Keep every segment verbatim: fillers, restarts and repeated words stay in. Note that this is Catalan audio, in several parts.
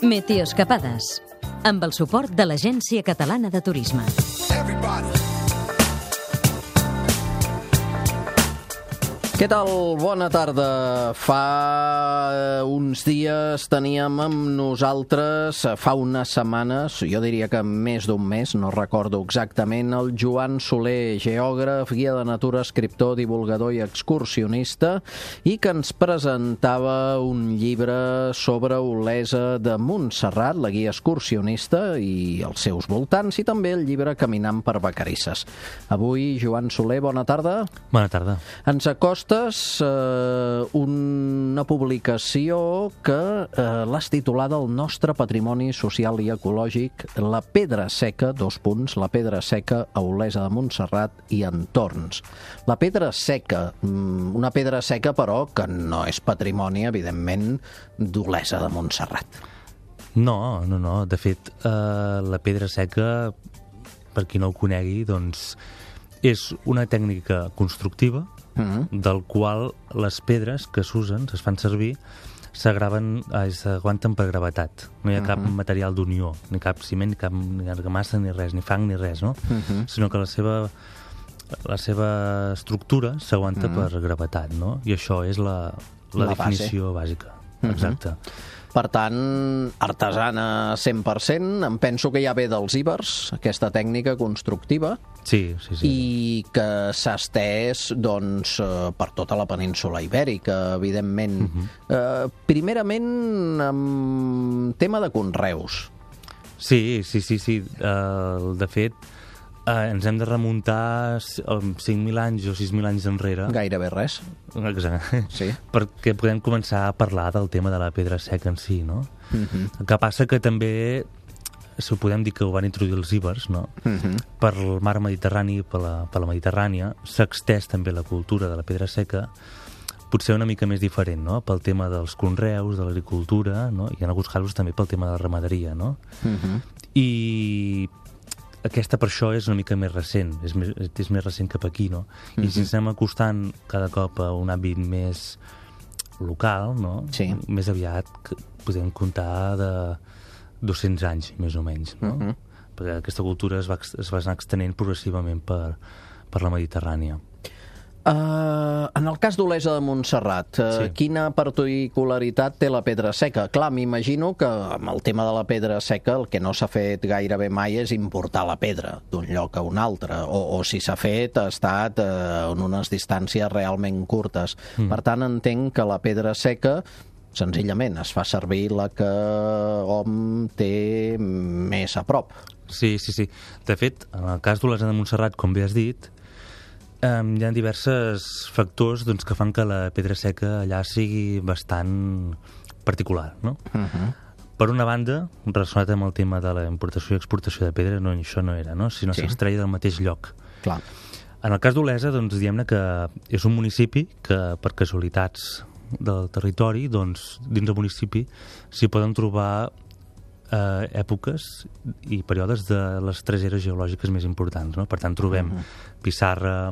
Meteoescapades, amb el suport de l'Agència Catalana de Turisme. Què tal? Bona tarda. Fa uns dies teníem amb nosaltres, fa unes setmanes, jo diria que més d'un mes, no recordo exactament, el Joan Soler, geògraf, guia de natura, escriptor, divulgador i excursionista, i que ens presentava un llibre sobre Olesa de Montserrat, la guia excursionista i els seus voltants, i també el llibre Caminant per Vacarisses. Avui, Joan Soler, bona tarda. Bona tarda. Ens acosta Eh, una publicació que eh, l'has titulada El nostre patrimoni social i ecològic, la pedra seca, dos punts, la pedra seca a Olesa de Montserrat i entorns. La pedra seca, una pedra seca però que no és patrimoni, evidentment, d'Olesa de Montserrat. No, no, no. De fet, eh, la pedra seca, per qui no ho conegui, doncs és una tècnica constructiva Mm-hmm. del qual les pedres que s'usen, es fan servir, s'agraven, s'aguanten per gravetat. No hi ha cap mm-hmm. material d'unió, ni cap ciment, ni cap ni argamassa, ni res, ni fang, ni res, no? Mm-hmm. Sinó que la seva, la seva estructura s'aguanta mm-hmm. per gravetat, no? I això és la, la, la definició base. bàsica. Mm-hmm. Exacte. Per tant, artesana cent per cent, em penso que ja ve dels ibers, aquesta tècnica constructiva, sí, sí, sí. i que s'ha estès doncs, per tota la península ibèrica, evidentment. Uh-huh. Eh, primerament, amb tema de conreus. Sí, sí, sí, sí. Uh, de fet, uh, ens hem de remuntar cinc mil anys o sis mil anys enrere. Gairebé res. Exacte. Sí. Perquè podem començar a parlar del tema de la pedra seca en si, no? Uh-huh. El que passa que també, si ho podem dir que ho van introduir els ibers, no? Uh-huh. Per el mar Mediterrani, per la, per la Mediterrània, s'ha extès també la cultura de la pedra seca, potser una mica més diferent, no? Pel tema dels conreus, de l'agricultura, no? I en alguns casos també pel tema de la ramaderia, no? Uh-huh. I aquesta per això és una mica més recent, és més, és més recent cap aquí, no? I mm-hmm. si ens anem acostant cada cop a un àmbit més local, no? Sí. Més aviat podem comptar de dos-cents anys, més o menys, no? Mm-hmm. Perquè aquesta cultura es va, es va anar extenent progressivament per, per la Mediterrània. Uh, en el cas d'Olesa de Montserrat, uh, sí. quina particularitat té la pedra seca? Clar, m'imagino que amb el tema de la pedra seca el que no s'ha fet gairebé mai és importar la pedra d'un lloc a un altre, o, o si s'ha fet ha estat uh, en unes distàncies realment curtes. Mm. Per tant, entenc que la pedra seca senzillament es fa servir la que hom té més a prop. Sí, sí, sí. De fet, en el cas d'Olesa de Montserrat, com bé has dit, Um, hi ha diversos factors doncs, que fan que la pedra seca allà sigui bastant particular, no? Uh-huh. Per una banda, relacionat amb el tema de la importació i exportació de pedra, no, això no era, no? Sinó sí. s'extreia del mateix lloc. Clar. En el cas d'Olesa, doncs, diguem-ne que és un municipi que, per casualitats del territori, doncs, dins del municipi s'hi poden trobar Eh, èpoques i períodes de les tres eres geològiques més importants, no? Per tant, trobem uh-huh. pissarra,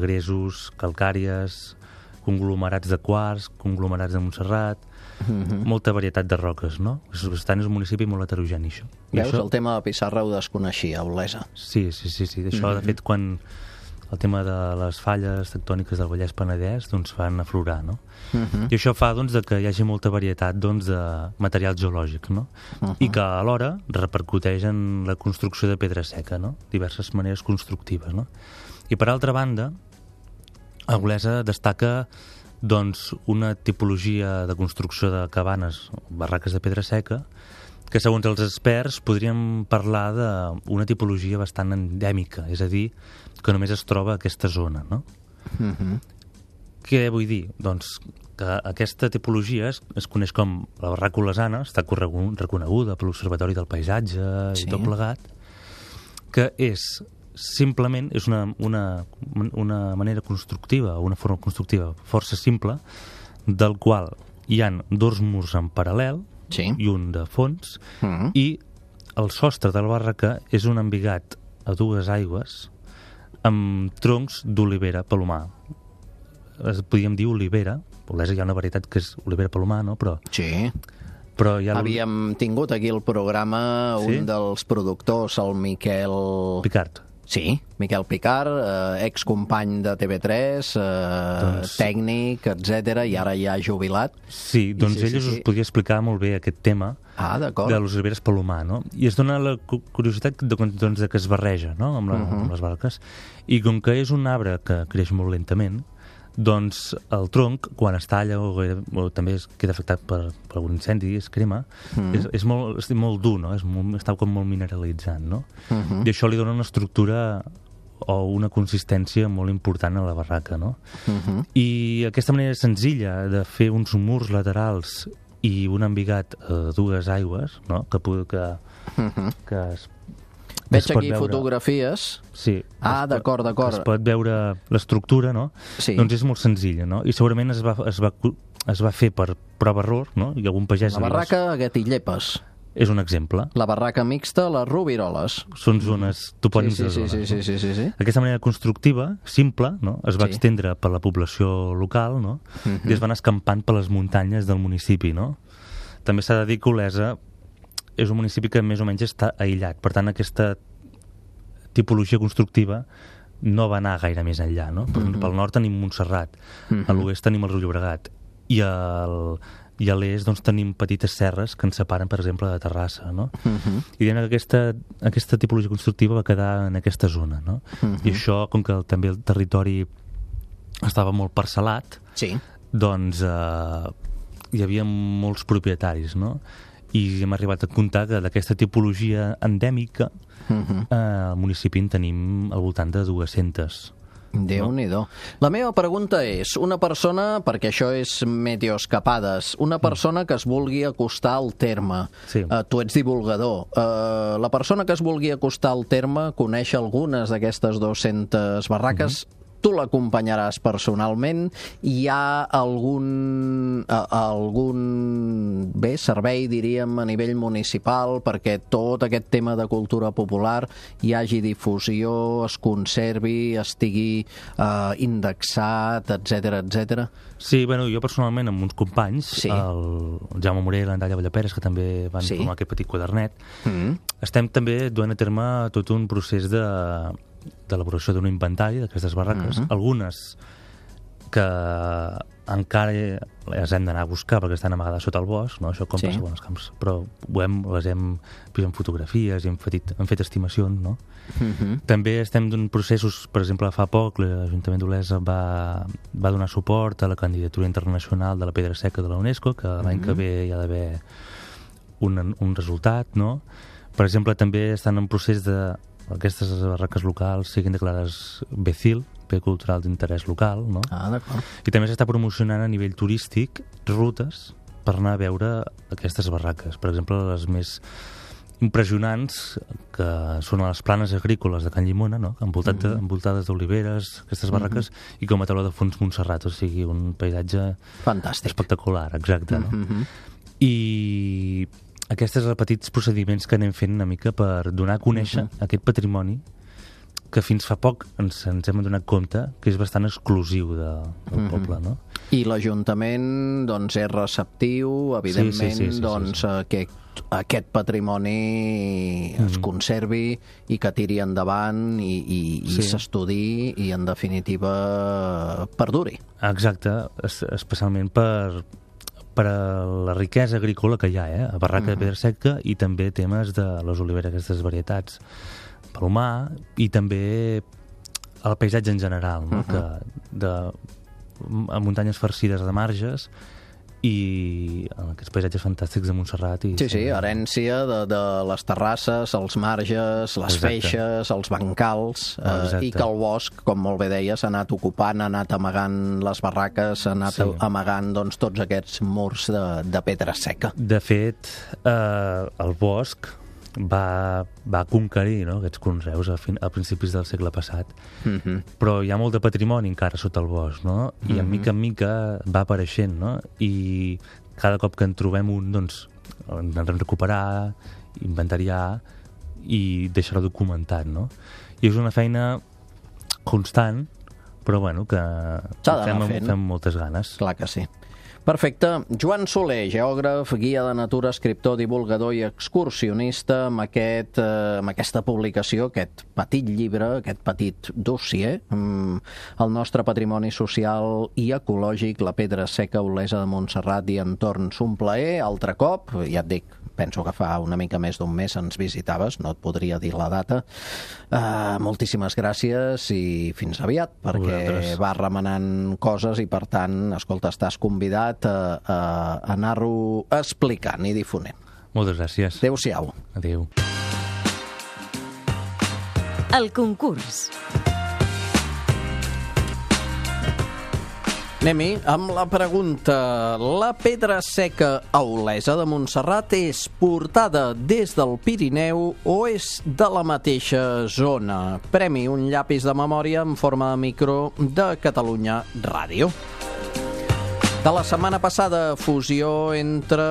gresos, calcàries, conglomerats de quars, conglomerats de Montserrat, uh-huh. molta varietat de roques, no? Per tant, és un municipi molt heterogeni, això. Veus, això... el tema de pissarra ho desconeixia, Olesa. Sí, sí, sí, sí. Això, uh-huh. de fet, quan el tema de les falles tectòniques del Vallès Penedès doncs van aflorar, no? Uh-huh. I això fa doncs, de que hi hagi molta varietat doncs, de material geològic, no? Uh-huh. I que alhora repercuteix en la construcció de pedra seca, no? Diverses maneres constructives, no? I per altra banda, a Olesa destaca doncs, una tipologia de construcció de cabanes, barraques de pedra seca, que segons els experts podríem parlar d'una tipologia bastant endèmica, és a dir, que només es troba a aquesta zona, no? Uh-huh. Què vull dir? Doncs que aquesta tipologia es, es coneix com la barraca olesana, està reconeguda per l'Observatori del Paisatge sí. i tot plegat, que és simplement és una, una, una manera constructiva, una forma constructiva força simple, del qual hi han dos murs en paral·lel sí. i un de fons, uh-huh. i el sostre de la barraca és un embigat a dues aigües amb troncs d'olivera palomar. Podríem dir olivera, Olesa hi ha una varietat que és olivera palomar, no? Però sí. Però ja Havíem tingut aquí al programa Sí? un dels productors, el Miquel... Picard. Sí, Miquel Picard, eh, excompany de T V tres, eh, Doncs- tècnic, etcètera, i ara ja jubilat. Sí, doncs sí, sí, ell sí. us podria explicar molt bé aquest tema Ah, d'acord. de les oliveres Palomar, no? I es dona la cu- curiositat de, doncs, de que es barreja, no?, amb, la, Mhm. amb les barques. I com que és un arbre que creix molt lentament, doncs el tronc, quan es talla o, o també es queda afectat per, per algun incendi, es crema, Mhm. és, és, molt, és molt dur, no? És molt, està com molt mineralitzant, no? Mhm. I això li dona una estructura o una consistència molt important a la barraca, no? Mhm. I aquesta manera senzilla de fer uns murs laterals i un embigat a dues aigües, no?, que, pu- que, Mhm. que es Veig es pot aquí veure. fotografies. Sí. Ah, es pot- d'acord, d'acord. que Es pot veure l'estructura, no? Sí. Doncs és molt senzilla, no? I segurament es va, es va, es va fer per prova-error, no? I algun pagès... La li va- barraca a Gatillépes. És un exemple. La barraca mixta, les Roviroles. Són zones, topònims Sí, de sí, zones. sí, sí, no? sí, sí, sí. Aquesta manera constructiva, simple, no? Es va Sí. extendre per la població local, no? Mhm. I es van escampant per les muntanyes del municipi, no? També s'ha de dir que Olesa és un municipi que més o menys està aïllat. Per tant, aquesta tipologia constructiva no va anar gaire més enllà, no? Per, Mhm. Pel nord tenim Montserrat, Mhm. a l'oest tenim el Riu Llobregat, i, al, i a l'est doncs, tenim petites serres que ens separen, per exemple, de Terrassa, no? Mhm. I diguem que aquesta, aquesta tipologia constructiva va quedar en aquesta zona, no? Mhm. I això, com que el, també el territori estava molt parcel·lat, Sí. doncs eh, hi havia molts propietaris, no? I hem arribat a comptar que d'aquesta tipologia endèmica Mhm. eh, al municipi en tenim al voltant de dues-centes. Déu-n'hi-do. La meva pregunta és, una persona, perquè això és meteoescapades, una persona que es vulgui acostar al terme, Sí. uh, tu ets divulgador, uh, la persona que es vulgui acostar al terme coneix algunes d'aquestes dues-centes barraques, tu l'acompanyaràs personalment, hi ha algun, a, algun bé, servei, diríem, a nivell municipal perquè tot aquest tema de cultura popular hi hagi difusió, es conservi, estigui eh, indexat, etcètera, etcètera. Sí, bueno, jo personalment amb uns companys, Sí. el Jaume Morell i l'Andalla Vallaperes, que també van Sí. formar aquest petit quadernet, Mm. estem també duent a terme tot un procés de d'elaboració d'un inventari d'aquestes barraques, Mhm. algunes que encara les hem d'anar a buscar perquè estan amagades sota el bosc, no? Això com Sí. passa amb els camps, però ho hem, les hem vist en fotografies i hem fet, hem fet estimacions, no? Mhm. També estem en processos, per exemple, fa poc l'Ajuntament d'Olesa va, va donar suport a la candidatura internacional de la pedra seca de la UNESCO, que l'any que ve hi ha d'haver un, un resultat, no? Per exemple, també estan en procés de aquestes barraques locals siguin declarades B C I L, Bé Cultural d'Interès Local, no? Ah, d'acord. I també s'està promocionant a nivell turístic rutes per anar a veure aquestes barraques. Per exemple, les més impressionants, que són a les planes agrícoles de Can Llimona, no? Envoltat de, envoltades d'oliveres, aquestes barraques, i com a taló de fons Montserrat, o sigui, un paisatge Fantàstic. espectacular, exacte, no? Mhm. I aquests són els petits procediments que anem fent una mica per donar a conèixer uh -huh. aquest patrimoni que fins fa poc ens, ens hem donat compte que és bastant exclusiu de, del uh -huh. poble, no? I l'Ajuntament doncs, és receptiu, evidentment, Sí, sí, sí, sí, doncs, sí, sí. que aquest patrimoni es Mhm. conservi i que tiri endavant i, i, i Sí. s'estudi i, en definitiva, perduri. Exacte, es, especialment per, per a la riquesa agrícola que hi ha, eh? A Barraca de Pedra Seca, i també temes de les oliveres, aquestes varietats, Palomar, i també el paisatge en general, no? Uh-huh. Que de a muntanyes farcides de marges i en aquests paisatges fantàstics de Montserrat. I Sí, sí, herència de, de les terrasses, els marges, les Exacte. feixes, els bancals, eh, Exacte. i que el bosc, com molt bé deies, ha anat ocupant, ha anat amagant les barraques, ha anat Sí. amagant doncs, tots aquests murs de, de pedra seca. De fet, eh, el bosc va, va conquerir, no?, aquests conreus a, fin, a principis del segle passat, Mhm. però hi ha molt de patrimoni encara sota el bosc, no? I Mhm. en mica en mica va apareixent, no? I cada cop que en trobem un, doncs, hem de recuperar, inventariar i deixar-ho documentat, no? I és una feina constant, però bueno, que S'ha d'anar fem, amb- fent. fem moltes ganes. Clar que sí. Perfecte. Joan Soler, geògraf, guia de natura, escriptor, divulgador i excursionista, amb, aquest, eh, amb aquesta publicació, aquest petit llibre, aquest petit dossier, mm, el nostre patrimoni social i ecològic, la Pedra Seca, Olesa de Montserrat i entorns. Un plaer, altre cop, ja et dic, penso que fa una mica més d'un mes ens visitaves, no et podria dir la data. Uh, moltíssimes gràcies i fins aviat, perquè Vosaltres. va remenant coses i, per tant, escolta, estàs convidat a, a anar-ho explicant i difonent. Moltes gràcies. Adéu-siau. Adéu. El concurs. Anem-hi amb la pregunta. La Pedra Seca a Olesa de Montserrat és portada des del Pirineu o és de la mateixa zona? Premi un llapis de memòria en forma de micro de Catalunya Ràdio. De la setmana passada, fusió entre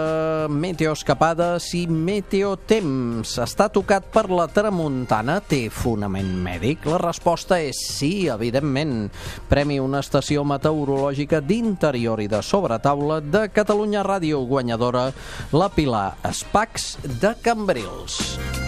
meteoescapades i meteotemps. Està tocat per la tramuntana? Té fonament mèdic? La resposta és sí, evidentment. Premi una estació meteorològica d'interior i de sobretaula de Catalunya Ràdio, guanyadora la Pilar Espacs de Cambrils.